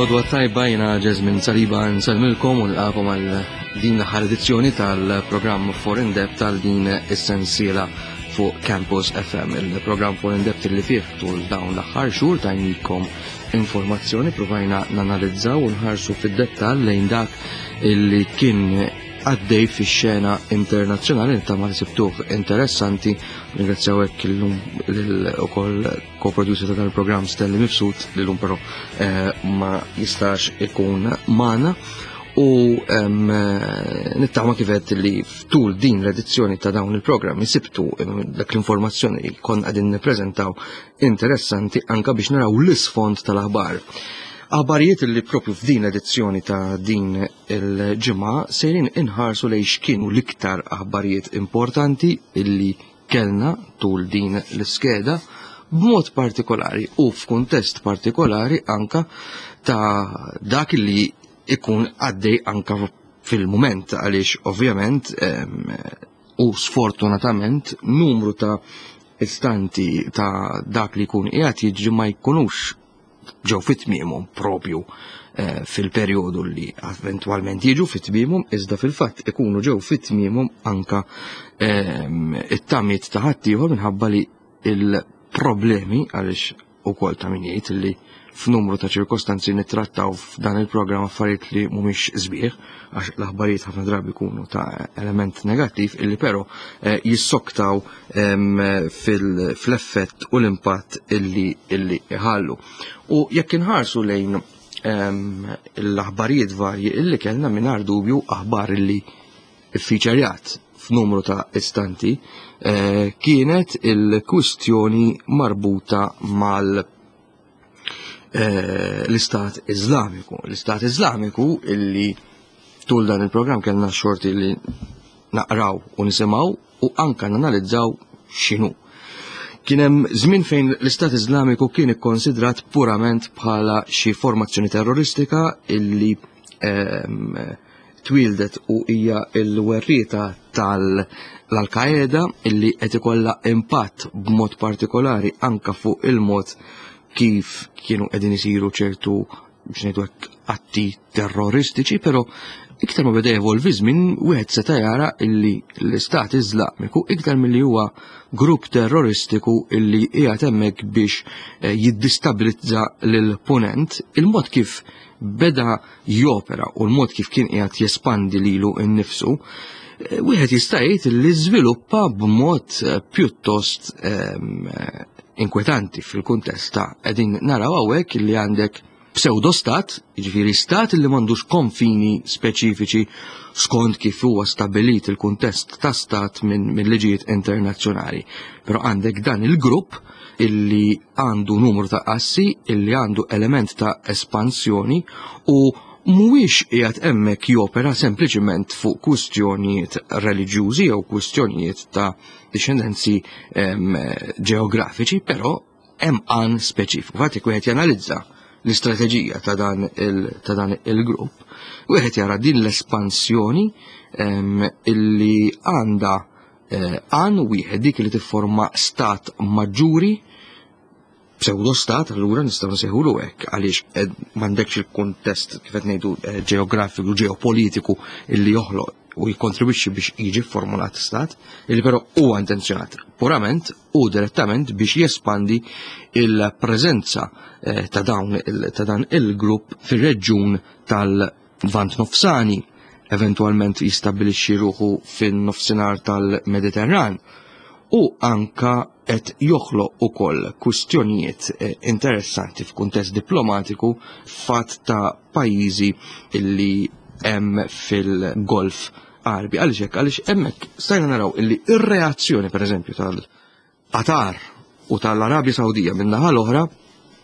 L-għodwa tajba jena Ġezmin Saliba nsalmilkom u nilqakom għal din l-aħħar edizzjoni tal-programm For In Depth tal din is-sensiela fuq Campus FM, il-programm For In Depth li fih tul dawn l-aħħar xhur tajnikom informazzjoni provajna nanalizzaw u nħarsu fid-dettall lejn dak illi kien għaddej fix-xena internazzjonali nittama li sibtuh interessanti. Ringrazzjaw hekk illum ukoll co-producer ta' dan il-programm Stanley Mifsud li llum però eh, ma jistax ikun magħna u eh, nittama kifet li ftul din l-edizzjoni ta' dawn il-programmi sibtu dak l-informazzjoni li kon għadin nippreżentaw interessanti anka biex naraw l-isfond tal-aħbar. Aħbarijiet li propju f'din l-edizzjoni ta' din il-ġimgħa sejrin inħarsu lejn x'kienu l-iktar aħbarijiet importanti illi kellna tul din l-iskeda b'mod partikolari u f'kuntest partikolari anka ta' dak li ikun għaddej anka fil-mument għaliex ovvjament u sfortunatament numru ta' istanti ta' dak li jkun qiegħed jiġri ma jkunux ġew fit-tmiemhom propju eh, fil-perjodu li eventwalment jiġu fit-tmiemhom iżda fil-fatt ikunu ġew fit-tmiemhom anka ehm, it-tamiet ta' ħaddieħor minħabba li il-problemi għaliex ukoll ta' min jgħid li f'numru ta' ċirkostanzi nittrattaw f'dan il-programm affarijiet li mhumiex sbieħ għax l-aħbarijiet ħafna drabi jkunu ta' element negattiv illi però eh, jissoktaw ehm, fil-effett u l-impatt illi illi iħallu. U jekk inħarsu lejn ehm, l-aħbarijiet varji illi kellna mingħajr dubju aħbar illi iffiċerjat f'numru ta' istanti eh, kienet il-kwistjoni marbuta mal eh, l-Istat Iżlamiku. L-Istat Iżlamiku illi tul dan il-programm kellna xorti li naqraw u nisimgħu u anka nanalizzaw x'inhu. Kien hemm żmien fejn l-Istat Iżlamiku kien ikkonsidrat purament bħala xi formazzjoni terroristika illi ehm, twieldet u hija l-werrieta tal-Al-Qaeda illi qed ikollha impatt b'mod partikolari anka fuq il-mod kif kienu qegħdin isiru ċertu biex ngħidu hekk atti terroristiċi, però iktar ma beda jevolvi żmien wieħed seta' jara illi l-Istat Iżlamiku iktar milli huwa grupp terroristiku illi qiegħed hemmhekk biex eh, jiddistabilizza lill-punent, il-mod kif beda jopera u l-mod kif kien qiegħed jespandi lilu nnifsu, eh, wieħed jista' jgħid li żviluppa b'mod eh, pjuttost ehm, inkwetanti fil-kuntest ta' qegħdin naraw hawnhekk li għandek pseudo-stat, jiġifieri stat li m'għandux konfini speċifiċi skont kif huwa stabilit il-kuntest ta' stat minn min liġijiet internazzjonali. Però għandek dan il-grupp illi għandu numru ta' assi, illi għandu element ta' espansjoni u mhuwiex qiegħed hemmhekk jopera sempliċiment fuq kwistjonijiet reliġjużi jew kwistjonijiet ta' dixxendenzi ġeografiċi, però hemm għan speċifiku. Fatt wieħed janalizza l-istrateġija ta' dan il-grupp, wieħed jara din l-espansjoni illi għandha eh, għan wieħed dik li tifforma stat maġġuri pseudo-stat, allura nistgħu nsejħulu hekk għaliex eh, m'għandekx il-kuntest kif qed ngħidu eh, ġeografiku, ġeopolitiku illi joħloq u jikkontribwixxi biex jiġi formulat stat, illi però huwa intenzjonat purament u direttament biex jespandi il-preżenza ta' dawn ta' dan il-grupp fir-reġjun tal-Lvant Nofsani, eventwalment jistabbilixxi ruħu fin-nofsinhar tal-Mediterran u anka qed joħloq ukoll kwistjonijiet eh, interessanti f'kuntest diplomatiku fatt ta' pajjiżi illi hemm fil-Golf Għarbi. Għaliex hekk? Għaliex hemmhekk stajna naraw illi ir-reazzjoni pereżempju tal-Qatar u tal-Arabja Sawdija min-naħa l-oħra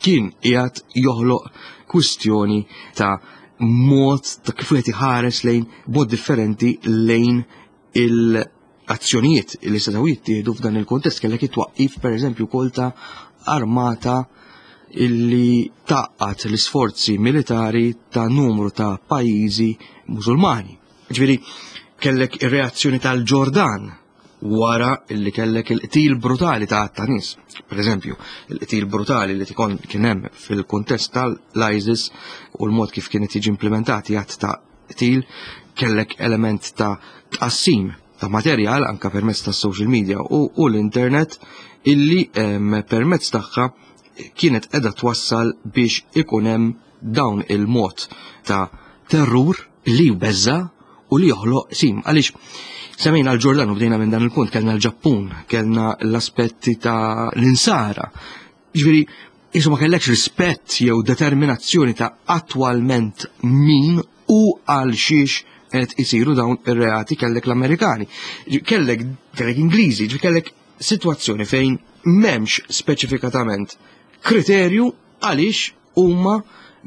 kien qiegħed joħloq kwistjoni ta' mod ta' kif wieħed iħares lejn mod differenti lejn il-azzjonijiet li setgħu jittieħdu f'dan il-kuntest kellek it-twaqqif pereżempju wkoll ta' armata illi taqqat l-isforzi militari ta' numru ta' pajjiżi Musulmani. Ġifieri kellek ir-reazzjoni tal-Ġordan. wara illi kellek il-qtil brutali ta' ta' nies. Per eżempju, il-qtil brutali li tikon kien hemm fil-kuntest tal-ISIS u l-mod kif kienet jiġi implementati għadd ta' qtil kellek element ta' tqassim ta' materjal anka permezz ta' social media u, u l-internet illi permezz tagħha kienet edha twassal biex ikun hemm dawn il-mod ta' terrur li jbeżza u li joħloq sim. Għaliex semmejna l-Ġordan u bdejna minn dan il-punt, kellna l-Ġappun, kellna l-aspetti ta' l-insara. Ġifieri, jisu ma kellekx rispett jew determinazzjoni ta' attwalment min u għal xiex qed isiru dawn ir-reati kellek l-Amerikani, kellek kellek Ingliżi, kellek sitwazzjoni fejn m'hemmx speċifikatament kriterju għaliex huma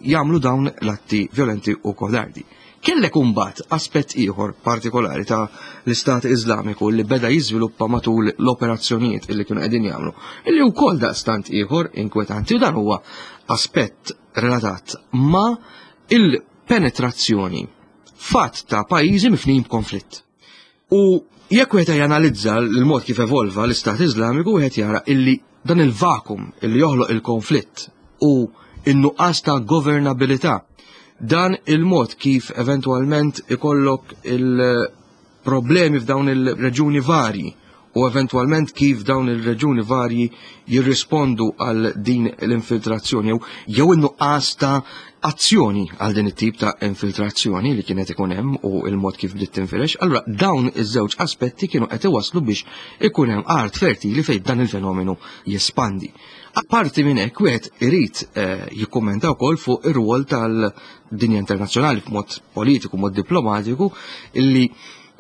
jagħmlu dawn l-atti violenti u kodardi. Kellek imbagħad aspett ieħor partikolari ta' l-Istat Iżlamiku li beda jiżviluppa matul l-operazzjonijiet illi kienu qegħdin jagħmlu, illi wkoll daqstant ieħor inkwetanti u dan huwa aspett relatat ma' il-penetrazzjoni fatt ta' pajjiżi mifnijin b'konflitt. U jekk wieħed janalizza l-mod kif evolva l-Istat Iżlamiku wieħed jara illi dan il-vakum illi joħloq il-konflitt u in-nuqqas ta' governabilità dan il-mod kif eventwalment ikollok il-problemi f'dawn il-reġuni varji u eventwalment kif dawn il-reġuni varji jirrispondu għal din l-infiltrazzjoni jew jew in-nuqqas ta' azzjoni għal din it-tip ta' infiltrazzjoni li kienet ikun hemm u il-mod kif bdiet tinfirex, allura dawn iż-żewġ aspetti kienu qed iwasslu biex ikun hemm art fertili fejn dan il-fenomenu jespandi. Apparti minn hekk wieħed irid eh, jikkummenta wkoll fuq ir-rwol tal-dinja internazzjonali f'mod politiku, mod diplomatiku, illi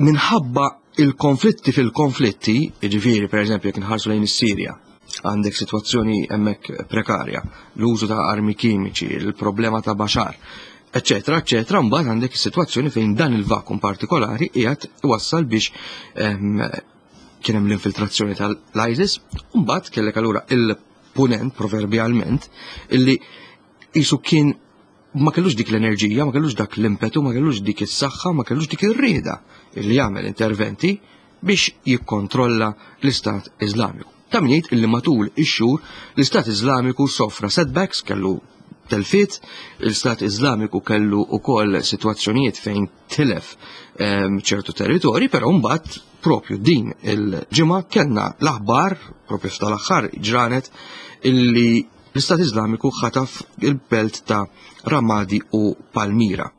minħabba il-konflitti fil-konflitti, jiġifieri pereżempju jekk inħarsu lejn is-Sirja, għandek sitwazzjoni hemmhekk prekarja, l-użu ta' armi kimiċi, il-problema ta' Bashar, eccetera, eccetera, mbagħad għandek is-sitwazzjoni fejn dan il-vakum partikolari qiegħed iwassal biex ehm, kien hemm l-infiltrazzjoni tal-ISIS, u mbagħad kellek allura il-punent proverbjalment illi qisu kien ma kellux dik l-enerġija, ma kellux dak l-impetu, ma kellux dik is-saħħa, ma kellux dik ir-rieda li jagħmel interventi biex jikkontrolla l-Istat Iżlamiku. Ta' min jgħid illi matul ix-xhur l-Istat Iżlamiku sofra setbacks, kellu telfiet, l-Istat Iżlamiku kellu wkoll sitwazzjonijiet fejn tilef ehm, ċertu territori, però mbagħad propju din il-ġimgħa kellna l-aħbar propju f'tal-aħħar ġranet illi L-Istat Iżlamiku ħataf il-belt ta' Ramadi u Palmira.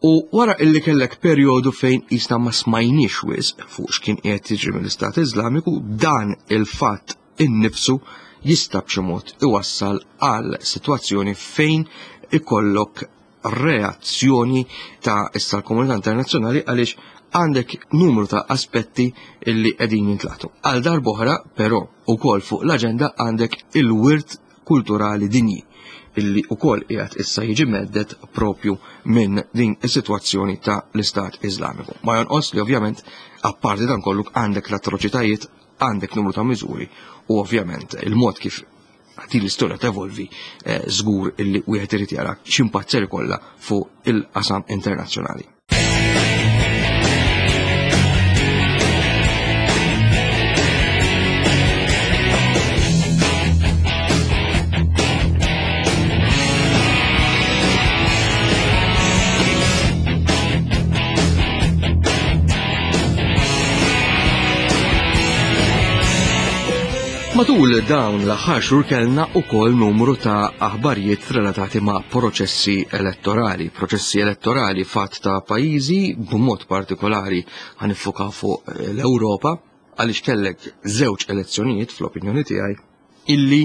U wara illi kellek perjodu fejn jisna ma smajniex wisq fuq x'kien qiegħed jiġri mill-Istat Iżlamiku, dan il-fatt innifsu jista' b'xi mod iwassal għal sitwazzjoni fejn ikollok reazzjoni ta' issa l-komunità internazzjonali għaliex għandek numru ta' aspetti illi qegħdin jintlaqtu. Għal darb'oħra, però, ukoll fuq l-aġenda għandek il-wirt kulturali dinji illi ukoll qiegħed issa jiġi meddet propju minn din is-sitwazzjoni ta' l-Istat Iżlamiku. Ma jonqos li ovvjament apparti dan kollu għandek l-atroċitajiet, għandek numru ta' miżuri u ovvjament il-mod kif din l-istorja tevolvi eh, żgur illi wieħed irid jara x'impatt ser ikollha fuq il-qasam internazzjonali. Matul dawn l-aħħar xhur kellna wkoll numru ta' aħbarijiet relatati ma' proċessi elettorali. Proċessi elettorali fatt ta' pajjiżi b'mod partikolari ħanifuka fuq l-Ewropa għaliex kellek żewġ elezzjonijiet fl-opinjoni tiegħi illi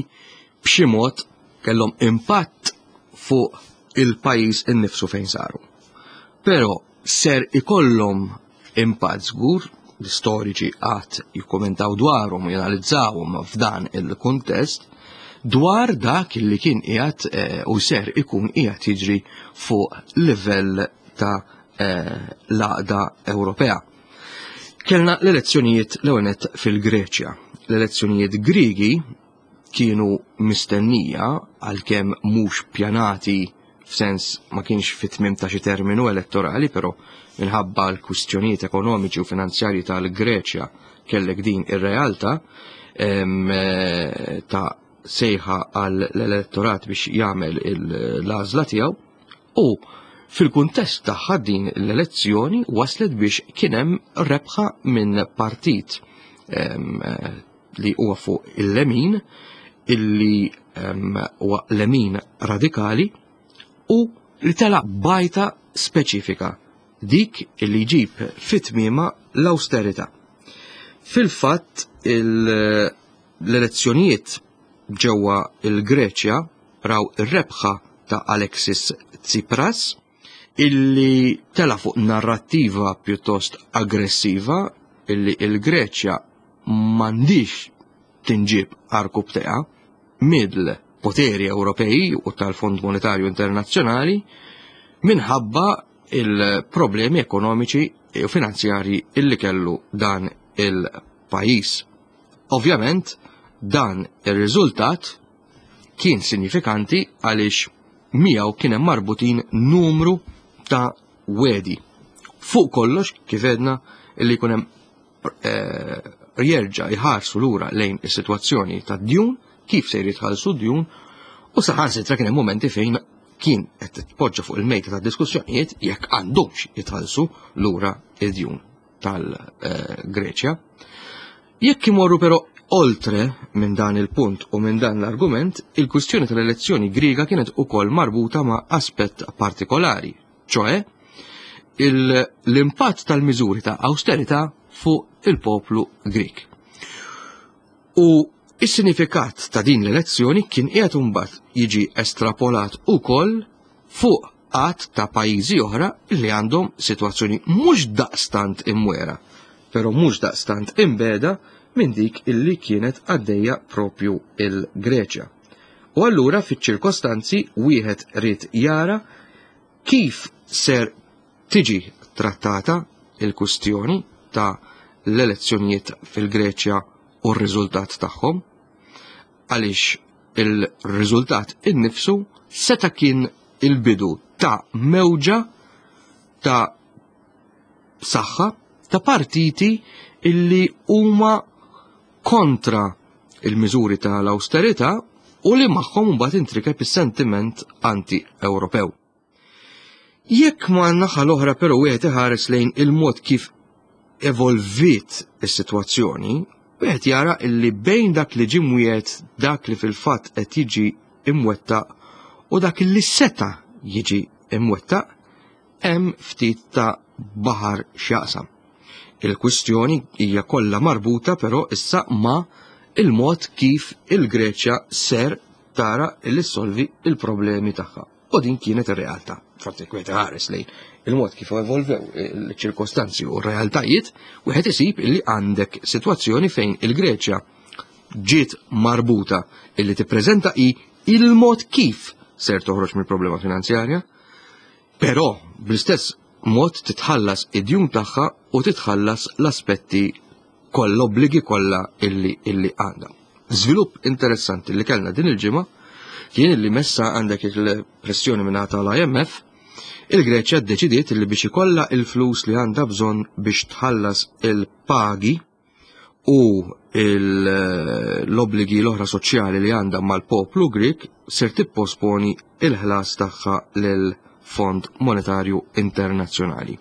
b'xi mod kellhom impatt fuq il-pajjiż innifsu fejn saru. Però ser ikollhom impatt żgur, l-istoriċi qatt jikkumentaw dwarhom u janalizzawhom f'dan il-kuntest, dwar dak li kien qiegħed eh, u ser ikun qiegħed jiġri fuq livell ta' eh, l-għaqda Ewropea. Kellna l-elezzjonijiet l-ewwel fil-Greċja. L-elezzjonijiet Griegi kienu mistennija għalkemm mhux pjanati f'sens ma kienx fit-tmiem ta' xi terminu elettorali, però minħabba l-kwistjonijiet ekonomiċi u finanzjarji tal-Greċja kellek din ir-realtà ta' sejħa għall elettorat biex jagħmel l-għażla tiegħu u fil-kuntest tagħha din l-elezzjoni waslet biex kien hemm rebħa minn partit li huwa fuq il-lemin illi huwa lemin radikali u li tela bajta speċifika dik li jġib fit-tmiema l-austerità. Fil-fatt l-elezzjonijiet ġewwa il-Greċja raw ir-rebħa ta' Alexis Tsipras illi tela fuq narrattiva pjuttost aggressiva illi il-Greċja m'għandix tinġib arku bteqa mill-poteri Ewropej u tal-Fond Monetarju Internazzjonali minħabba il-problemi ekonomiċi u finanzjarji illi kellu dan il-pajjiż. Ovvjament, dan ir-riżultat kien sinifikanti għaliex miegħu kien hemm marbutin numru ta' wedi. Fuq kollox, kif edna, illi jkun hemm jerġa' jħarsu lura lejn is-sitwazzjoni tad-djun, kif se jitħallsu d-djun, u saħansitra kien hemm momenti fejn kien qed tpoġġa fuq il-mejta ta' diskussjonijiet jekk għandhomx jitħallsu lura id-djun tal-Greċja. Jekk imorru però oltre minn dan il-punt u minn dan l-argument, il-kwistjoni tal-elezzjoni Griega kienet ukoll marbuta ma' aspett partikolari, ċoe l-impatt tal-miżuri ta' austerità fuq il-poplu Grieg. U is-sinifikat ta' din l-elezzjoni kien qiegħed imbagħad jiġi estrapolat ukoll fuq għadd ta' pajjiżi oħra li għandhom sitwazzjoni mhux daqstant imwera, però mhux daqstant imbeda minn dik illi kienet għaddejja propju il-Greċja. U allura fiċ-ċirkostanzi wieħed ried jara kif ser tiġi trattata il-kustjoni ta' l-elezzjonijiet fil-Greċja u r-riżultat tagħhom, għaliex il-riżultat innifsu seta' kien il-bidu ta' mewġa ta' saħħa ta' partiti illi huma kontra il-miżuri tal-austerità u li magħhom mbagħad intrikeb is-sentiment anti-Ewropew. Jekk ma naħa l-oħra però wieħed iħares lejn il-mod kif evolviet is-sitwazzjoni, wieħed jara illi bejn dak li ġie mwiegħed, dak li fil-fatt qed jiġi imwettaq u dak li seta' jiġi imwettaq, hemm ftit ta' baħar x'jaqsam. Il-kwistjoni hija kollha marbuta però issa ma' il-mod kif il-Greċja ser tara li ssolvi il-problemi tagħha. U din kienet ir-realtà. Forsi jekk wieħed iħares lejn il-mod kif evolvew il-ċirkostanzi u r-realtajiet, wieħed isib illi għandek sitwazzjoni fejn il-Greċja ġiet marbuta illi tippreżenta i il-mod kif ser toħroġ mill-problema finanzjarja, però bl-istess mod titħallas id-djun tagħha u titħallas l-aspetti kollha l-obbligi kollha illi illi għandha. Żvilupp interessanti li kellna din il-ġimgħa kien illi messa għandek il-pressjoni minn tal-IMF, il-Greċja ddeċidiet li biex ikollha il-flus li għandha bżonn biex tħallas il-pagi u l-obbligi l-oħra soċjali li għandha mal-poplu Grek ser tipposponi il-ħlas tagħha lil Fond Monetarju Internazzjonali.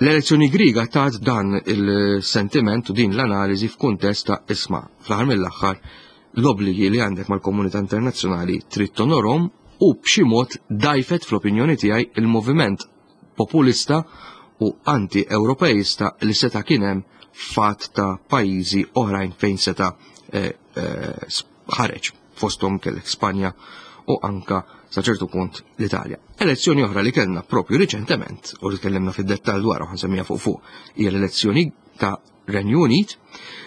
L-elezzjoni Griega tat dan il-sentiment u din l-analiżi f'kuntest ta' isma' fl-aħħar mill-aħħar l-obbligi li għandek mal-komunità internazzjonali trid tonorhom u b'xi mod dajfet fl-opinjoni tiegħi il-moviment populista u anti-Ewropeista li seta' kien hemm fatt ta' pajjiżi oħrajn fejn seta' ħareġ fosthom kellek Spanja u anka sa ċertu punt l-Italja. Elezzjoni oħra li kellna propju riċentement u li tkellimna fid-dettall dwar u ħansemmija fuq fuq hija l-elezzjoni ta' Renju Unit.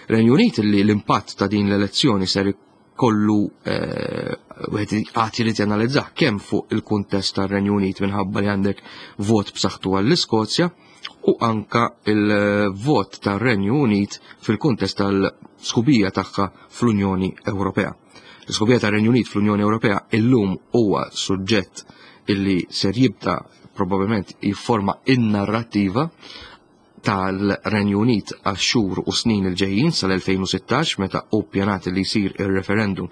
Renju Unit li l-impatt ta' din l-elezzjoni ser kollu wieħed għad irid janalizzah kemm fuq il-kuntest tar-Renju Unit minħabba li għandek vot b'saħħtu għall-Iskozja u anka il-vot tar-Renju Unit fil-kuntest tal-sħubija tagħha fl-Unjoni Ewropea. L-sħubija tar-Renju Unit fl-Unjoni Ewropea illum huwa suġġett illi ser jibda probabbilment jifforma in-narrattiva. tal-Renju Unit għax-xhur u snin il-ġejjin sal-2016 meta hu ppjanat li jsir ir-referendum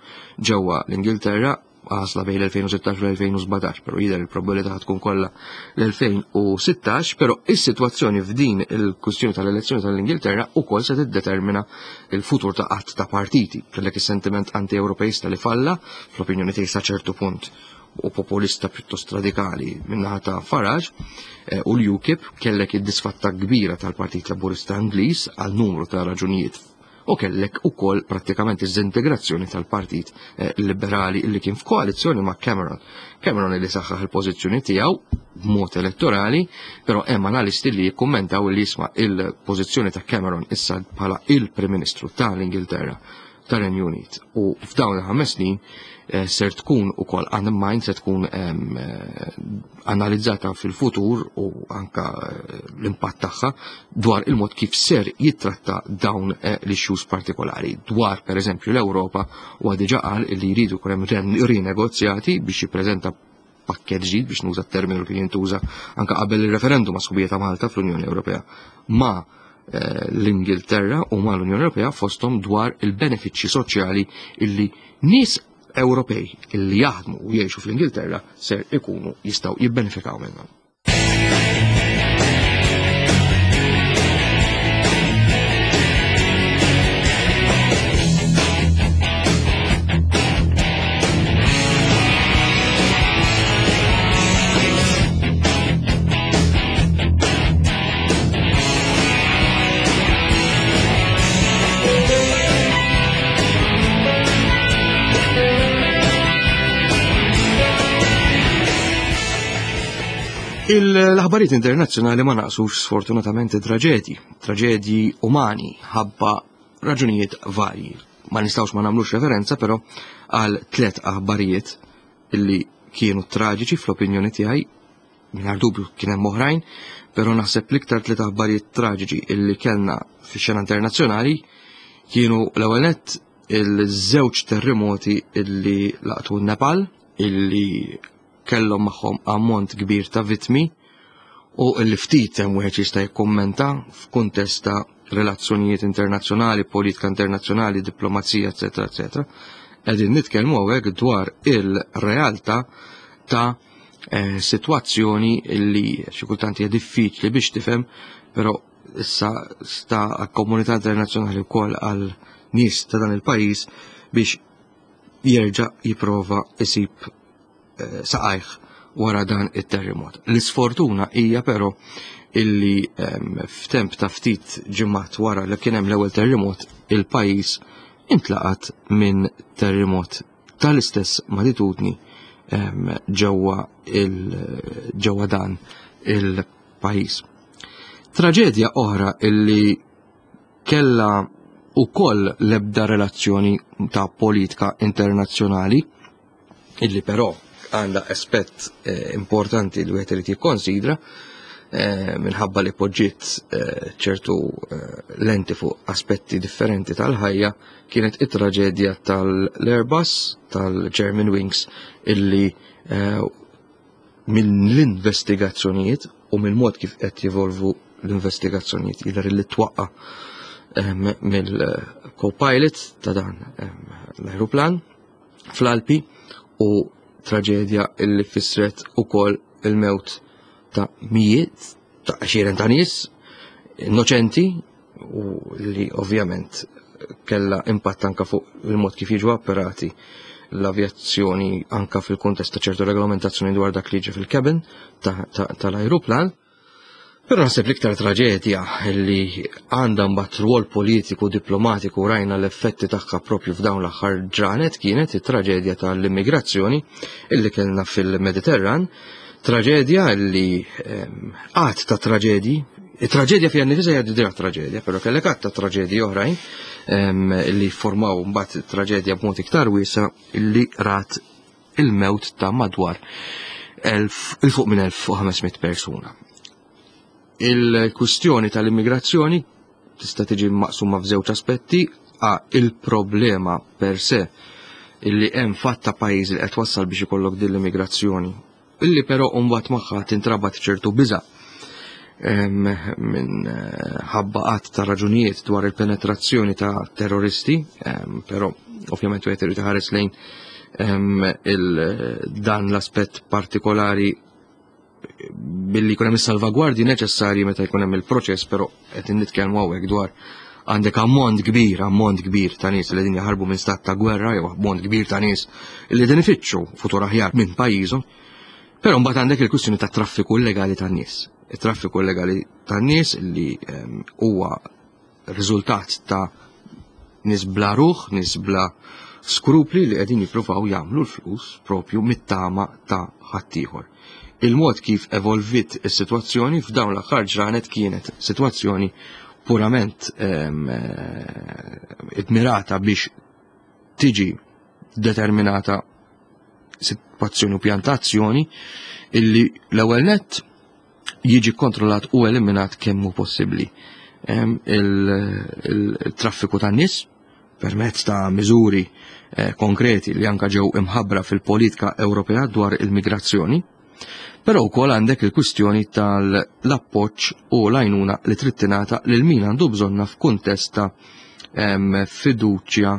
ġewwa l-Ingilterra għażla bejn l-2016 u l-2017, però jidher il-probabilità tkun kollha l-2016, però is-sitwazzjoni f'din il-kwistjoni tal-elezzjoni tal-Ingilterra ukoll se tiddetermina il-futur ta' qatt ta' partiti. Kellek is-sentiment anti-Ewropeista li falla, fl-opinjoni tiegħi sa ċertu punt u populista pjuttost radikali minnaħa ta' Farage eh, u l-UKIP kellek id-disfatta kbira tal-Partit Laburista Ingliż għal numru ta' raġunijiet u kellek ukoll prattikament iż-integrazzjoni tal-Partit eh, Liberali li kien f'koalizzjoni ma' Cameron. Cameron li saħħaħ il-pożizzjoni tiegħu b'mod elettorali, però hemm analisti li jikkummentaw li jisma' il-pożizzjoni ta' Cameron issa bħala il-Prim Ministru tal-Ingilterra tar-Renju Unit u f'dawn il-ħames snin eh, ser tkun ukoll unmind se tkun eh, analizzata fil-futur u anka eh, l-impatt tagħha dwar il-mod kif ser jittratta dawn l-issues partikolari. Dwar pereżempju l-Ewropa u diġà qal li jridu jkun hemm rinegozjati biex jippreżenta pakket ġdid biex nuża t-terminu li kien jintuża anka qabel il-referendum ma' sħubija ta' Malta fl-Unjoni Ewropea ma' eh, l-Ingilterra u ma' l-Unjoni Ewropea fosthom dwar il-benefiċċji soċjali illi nies Ewropej illi jaħdmu u jgħixu fl-Ingilterra ser ikunu jistgħu jibbenefikaw minnhom. Il-aħbarijiet internazzjonali ma naqsux sfortunatament traġedji, traġedji umani ħabba raġunijiet varji. Ma nistgħux ma nagħmlux referenza però għal tliet aħbarijiet illi kienu traġiċi fl-opinjoni tiegħi, mingħajr dubju kien hemm oħrajn, però naħseb l-iktar tliet aħbarijiet traġiċi illi kellna fix-xena internazzjonali kienu l-ewwel nett il-żewġ terremoti illi laqtu n-Nepal, illi kellhom magħhom ammont kbir ta' vittmi u illi ftit hemm wieħed jista' jikkummenta f'kuntest ta' relazzjonijiet internazzjonali, politika internazzjonali, diplomazija, eċetera, eċetera. Qegħdin nitkellmu hawnhekk dwar il-realtà ta' eh, sitwazzjoni li xi kultant hija diffiċli biex tifhem, però issa sta għall-komunità internazzjonali wkoll għal nies ta' dan il-pajjiż biex jerġa' jipprova isib eh, saqajh wara dan it-terremot. L-isfortuna hija però illi ehm, f'temp ta' ftit ġimgħat wara li kien hemm l-ewwel terremot, il-pajjiż intlaqat minn terremot tal-istess magnitudni ehm, ġewwa ġewwa dan il-pajjiż. Traġedja oħra illi kella ukoll l-ebda relazzjoni ta' politika internazzjonali illi però għandha aspett eh, importanti li wieħed irid jikkonsidra eh, minħabba li poġġiet eh, ċertu lenti fuq aspetti differenti tal-ħajja kienet it-traġedja tal-Airbus tal-German Wings illi minn l-investigazzjonijiet u mill mod kif qed jevolvu l-investigazzjonijiet jidher li twaqqa mill-co-pilot ta' dan l-aeroplan fl-Alpi u traġedja illi fissret ukoll il-mewt ta' mijiet ta' għexieren ta' nies innoċenti u li ovvjament kella impatt anka fuq il-mod kif jiġu apparati l-avjazzjoni anka fil-kuntest ta' ċertu regolamentazzjoni dwar dak li jiġi fil-cabin tal-ajruplan. Ta Però naħseb l-iktar traġedja li għandha mbagħad rwol politiku diplomatiku rajna l-effetti tagħha propju f'dawn l-aħħar ġranet kienet it-traġedja tal-immigrazzjoni illi kellna fil-Mediterran, traġedja li ehm, għad ta' traġedji, it-traġedja fiha nifisha hija diġà traġedja, però kellek għad ta' traġedji oħrajn ehm, li formaw mbagħad traġedja b'mod iktar wiesa illi rat il-mewt ta' madwar il fuq minn 1500 persuna. Il-kwistjoni tal-immigrazzjoni tista' tiġi maqsuma f'żewġ aspetti, a il-problema per se illi hemm fatt ta' pajjiż li qed wassal biex ikollok din l-immigrazzjoni, illi però mbagħad magħha tintrabat ċertu biża'. minn ħabba qatt ta' raġunijiet dwar il-penetrazzjoni ta' terroristi, però ovvjament wieħed irid iħares lejn dan l-aspett partikolari billi jkun hemm is-salvagwardji neċessarji meta jkun hemm il-proċess, però qed nitkellmu hawnhekk dwar għandek ammont kbir, ammont kbir ta' nies li qegħdin jaħarbu minn stat ta' gwerra jew ammont kbir ta' nies li qegħdin ifittxu futur aħjar minn pajjiżhom. Però mbagħad għandek il-kwistjoni ta' traffiku illegali tan-nies. Il-traffiku illegali tan-nies li huwa riżultat ta' nies bla ruħ, nies bla skrupli li qegħdin jippruvaw jagħmlu l-flus propju mit-tama ta' ħaddieħor. Il-mod kif evolvit is-sitwazzjoni f'dawn l-aħħar ġranet kienet sitwazzjoni purament idmirata biex tiġi determinata sitwazzjoni u pjantazzjoni illi l-ewwel nett jiġi kontrollat u eliminat kemm hu possibbli il-traffiku tan-nies permezz ta' miżuri konkreti li anka ġew imħabbra fil-politika Ewropea dwar il-migrazzjoni. Però wkoll għandek il-kwistjoni tal-appoġġ u l-għajnuna li trid tingħata lil min għandu bżonna f'kuntest ta' fiduċja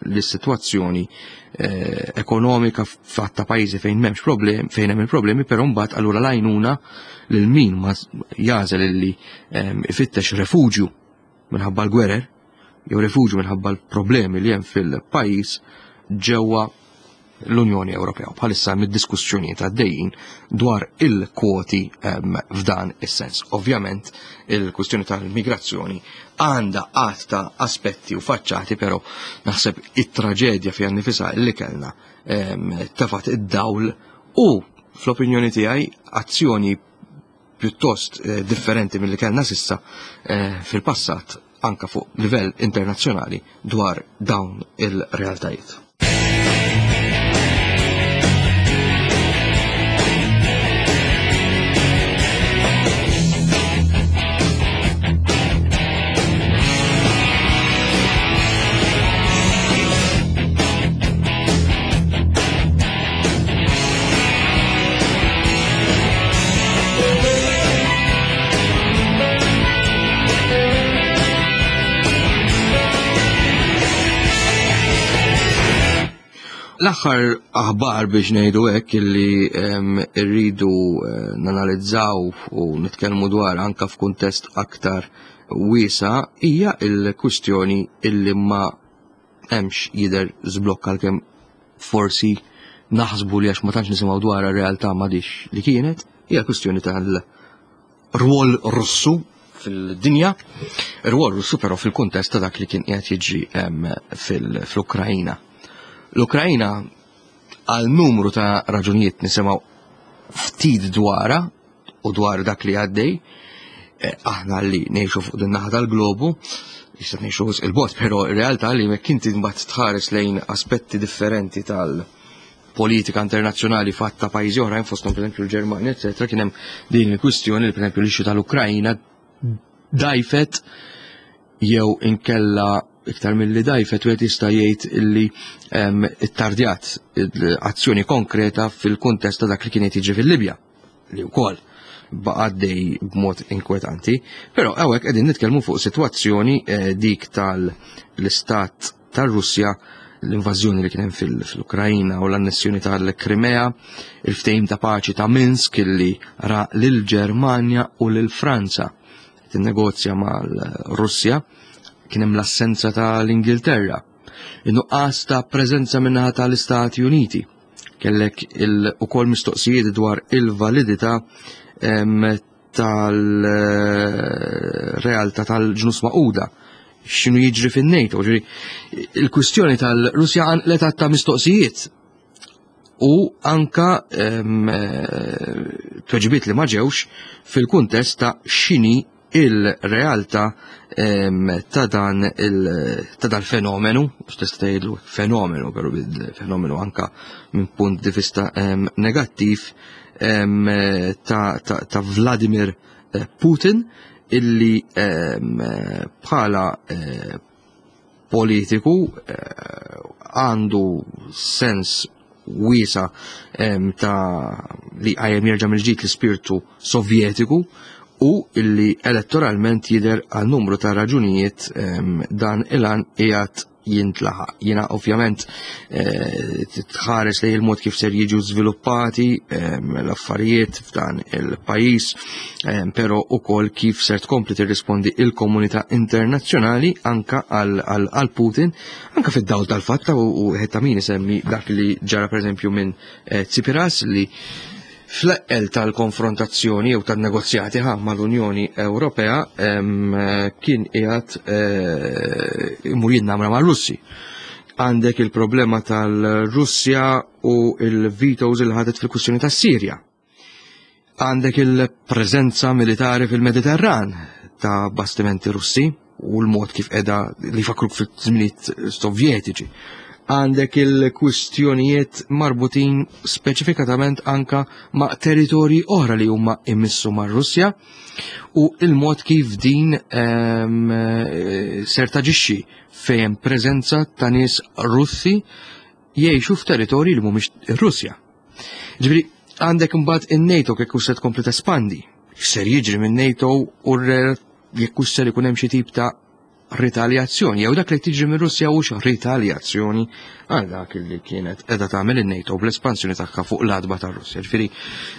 l-sitwazzjoni ekonomika fatta pajjiżi fejn m'hemmx problem, fejn hemm il-problemi, però mbagħad allura l-għajnuna lil min ma jażel illi ifittex refuġju minħabba l-gwerer jew refuġju minħabba l-problemi li hemm fil-pajjiż ġewwa l-Unjoni Ewropea. Bħalissa hemm id-diskussjonijiet għaddejjin dwar il-kwoti f'dan is-sens. Ovvjament il-kwistjoni tal-migrazzjoni għandha għadd ta' aspetti u faċċati, però naħseb it-traġedja fiha nnifisha li kellna tefat id-dawl u fl-opinjoni tiegħi azzjoni pjuttost differenti milli kellna sissa fil-passat anka fuq livell internazzjonali dwar dawn il-realtajiet. L-aħħar aħbar biex ngħidu hekk illi rridu nanalizzaw u nitkellmu dwar anka f'kuntest aktar wiesa hija l-kwistjoni illi ma hemmx jidher żblokk għalkemm forsi naħsbu li għax ma tantx nisimgħu dwar ir-realtà m'għadix li kienet, hija kwistjoni tal-rwol Russu fil-dinja, ir-rwol Russu però fil-kuntest ta' dak li kien qiegħed jiġri fl-Ukrajina. L-Ukrajina għal numru ta' raġunijiet nisimgħu ftit dwarha u dwar dak li għaddej, aħna li ngħixu fuq din naħa tal-globu, jista' ngħixu wisq il-bogħod, però r-realtà li jekk inti mbagħad tħares lejn aspetti differenti tal-politika internazzjonali fatt ta' pajjiżi oħrajn fosthom pereżempju l-Ġermanja, eċetera, kien hemm din il-kwistjoni li pereżempju l-issue tal-Ukrajna dajfet jew inkella iktar milli dajfet wieħed jista' jgħid illi ittardjat azzjoni konkreta fil-kuntest ta' dak li kien qed jiġri fil-Libja li wkoll baqa' għaddej b'mod inkwetanti. Però hawnhekk qegħdin nitkellmu fuq sitwazzjoni dik tal-istat tar-Russja, l-invażjoni li kien hemm fil-Ukrajna u l-annessjoni tal-Krimea, il-ftehim ta' paċi ta' Minsk illi ra lill-Ġermanja u lil Franza tinnegozja mal-Russja, kien hemm l-assenza tal-Ingilterra, in-nuqqas ta' preżenza min-naħa tal-Istati Uniti. Kellek ukoll mistoqsijiet dwar il-validità tal-realtà tal-ġnus maquda x'inhu jiġri fin-NATO, ġifieri il-kwistjoni tal-Russja għanqlet ta' mistoqsijiet u anka tweġibiet li ma ġewx fil-kuntest ta' x'inhi il-realtà ta' dan ta' dan fenomenu, tista' tgħidlu fenomenu, però fenomenu anka minn punt di vista negattiv ta' Vladimir Putin illi bħala politiku għandu sens wiesa ta' li għajem jerġa' mill-ġdid l-ispirtu Sovjetiku u illi elettoralment jidher għal numru ta' raġunijiet dan il-għan qiegħed jintlaħaq. Jiena ovvjament eh, tħares lejn il-mod kif ser jiġu żviluppati l-affarijiet f'dan il-pajjiż, però ukoll kif ser tkompli tirrispondi il-komunità internazzjonali anka għal Putin, anka fid-dawl tal-fatta u ta' min isemmi dak li ġara pereżempju minn eh, Tsipiras li fl-eqqel tal-konfrontazzjoni jew tan-negozjati ħa mal-Unjoni Ewropea kien qiegħed eh, imur jinnamra mar-Russi. Għandek il-problema tal-Russja u il-vetoes il ħadet fil-kwistjoni tas-Sirja. Għandek il-preżenza militari fil-Mediterran ta' bastimenti Russi u l-mod kif edha li fakruk fil-żminijiet Sovjetiċi. Għandek il-kwistjonijiet marbutin speċifikatament anka ma' territorji oħra li huma imissu mar Russja u il-mod kif din ehm, ser taġixxi fejn preżenza ta' nies Russi jgħixu f'territorji li mhumiex ir-Russja. Ġifieri għandek imbagħad in-NATO kif se tkompli tespandi. X'ser jiġri minn NATO u jekk hux ser ikun hemm xi tip ta' ritaljazzjoni jew dak li tiġri minn Russja hux ritaljazzjoni għal dak li kienet qiegħda tagħmel in-NATO bl-espansjoni tagħha fuq l-adba tar-Russja. Ġifieri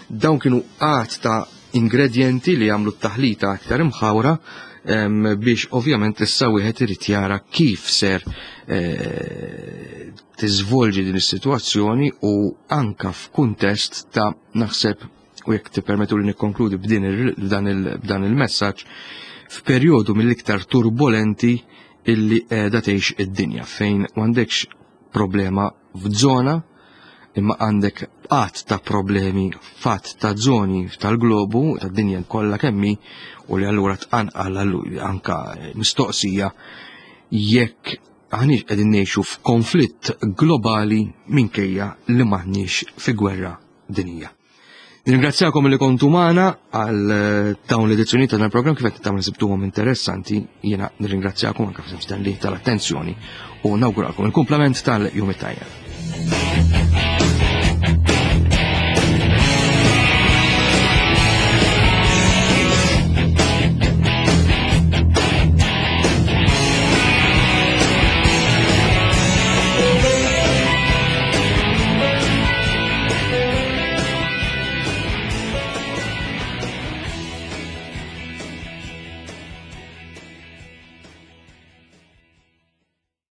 dawn kienu għad ta' ingredjenti li jagħmlu t-taħlita aktar imħawra biex ovvjament issa wieħed irid jara kif ser eh, tiżvolġi din is-sitwazzjoni u anka f'kuntest ta' naħseb u jekk tippermettu li nikkonkludi b'dan il-messaġġ f'perjodu mill-iktar turbolenti illi qiegħda tgħix id-dinja fejn m'għandekx problema f'żona imma għandek qatt ta' problemi fatt ta' zoni tal-globu tad-dinja kollha kemmi u li allura tqanqal anka mistoqsija jekk aħniex qegħdin ngħixu f'konflitt globali minkejja li m'aħniex fi gwerra dinija. Nirringrazzjakom li kontu magħna għal eh, dawn l-edizzjoni ta' dan il-programm kif qed tagħmlu sibtuhom interessanti, jiena nirringrazzjakom anke f'isem Stanley tal-attenzjoni u nawguralkom il-kumplament tal-jum it-tajjeb.